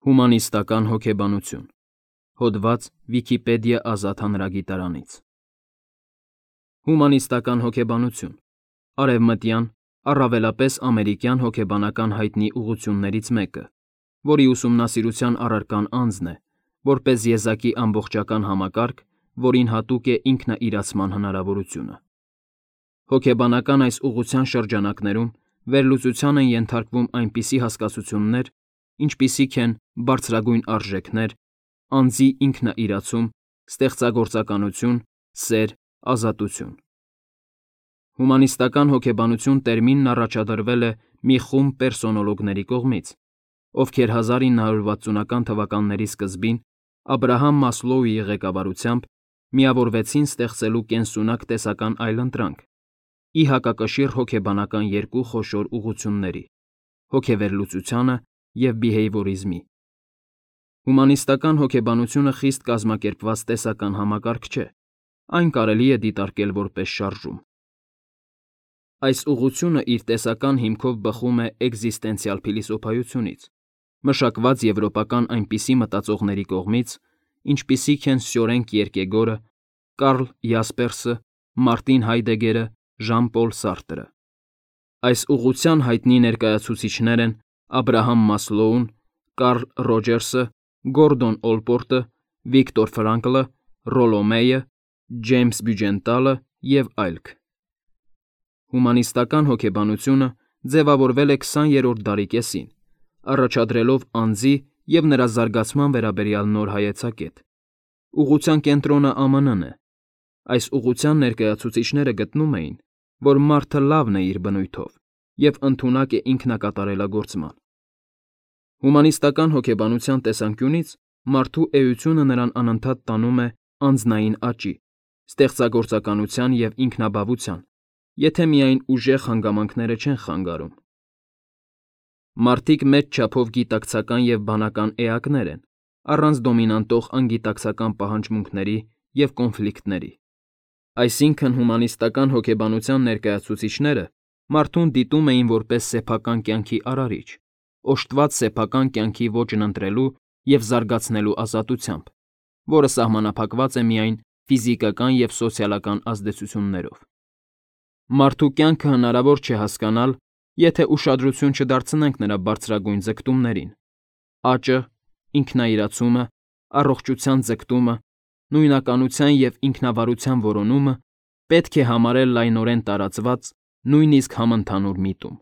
Հումանիստական հոգեբանություն։ Հոդված Վիքիպեդիա ազատ հանրագիտարանից։ Հումանիստական հոգեբանություն արևմտյան, առավելապես ամերիկյան հոգեբանական հայտնի ուղղություններից մեկը, որի ուսումնասիրության առարկան անձն է, որպես եզակի ամբողջական համակարգ, որին հատուկ է ինքնաիրացման հնարավորությունը։ Հոգեբանական այս ուղղության շրջանակներում վերլուծության են ենթարկվում այնպիսի հասկացություններ, ինչպիսիք են բարձրագույն արժեքներ, անձի ինքնաիրացում, ստեղծագործականություն, սեր, ազատություն։ Հումանիստական հոգեբանություն տերմինն առաջադրվել է մի խումբ պերսոնոլոգների կողմից, ովքեր 1960-ական թվականների սկզբին Աբրահամ Մասլոուի ղեկավարությամբ միավորվեցին ստեղծելու կենսունակ տեսական այլընտրանք՝ ի հակակշիռ հոգեբանական երկու խոշոր ուղղությունների՝ հոգեվերլուծությանը և բիհեյվորիզմի։ Հումանիստական հոգեբանությունը խիստ կազմակերպված տեսական համակարգ չէ, այն կարելի է դիտարկել որպես շարժում։ Այս ուղղությունը իր տեսական հիմքով բխում է էկզիստենցիալ փիլիսոփայությունից, մշակված եվրոպական այնպիսի մտածողների կողմից, ինչպիսիք են Սյորեն Կիերկեգորը, Կարլ Յասպերսը, Մարտին Հայդեգերը, Ժան֊Պոլ Սարտրը։ Այս ուղղության հայտնի ներկայացուցիչներ են Աբրահամ Մասլոուն, Կարլ Ռոջերսը, Գորդոն Օլպորտը, Վիկտոր Ֆրանկլը, Ռոլո Մեյը, Ջեյմս Բյուջենտալը և այլք։ Հումանիստական հոգեբանությունը ձևավորվել է 20-րդ դարի կեսին, առաջադրելով անձի և նրա զարգացման վերաբերյալ նոր հայեցակետ։ Ուղղության կենտրոնը ԱՄՆ-ն է։ Այս ուղղության ներկայացուցիչները գտնում էին, որ մարդը լավն է իր բնույթով և ընդունակ է ինքնակատարելագործման։ Հումանիստական հոգեբանության տեսանկյունից մարդու էությունը նրան անընդհատ տանում է անձնային աճի, ստեղծագործականության և ինքնաբավության, եթե միայն ուժեղ հանգամանքները չեն խանգարում։ Մարդիկ մեծ չափով գիտակցական և բանական էակներ են, առանց դոմինանտող անգիտակցական պահանջմունքների և կոնֆլիկտների։ Այսինքն հումանիստական հոգեբանության ներկայացուցիչները մարդուն դիտում էին որպես սեփական կյանքի արարիչ, օժտված սեփական կյանքի ոճն ընտրելու և զարգացնելու ազատությամբ, որը սահմանափակված է միայն ֆիզիկական և սոցիալական ազդեցություններով։ Մարդու կյանքը հնարավոր չէ հասկանալ, եթե ուշադրություն չդարձնենք նրա բարձրագույն ձգտումներին։ Աճը, ինքնաիրացումը, առողջության ձգտումը, նույնականության և ինքնավարության որոնումը պետք է համարել լայնորեն տարածված, նույնիսկ համընդհանուր միտում։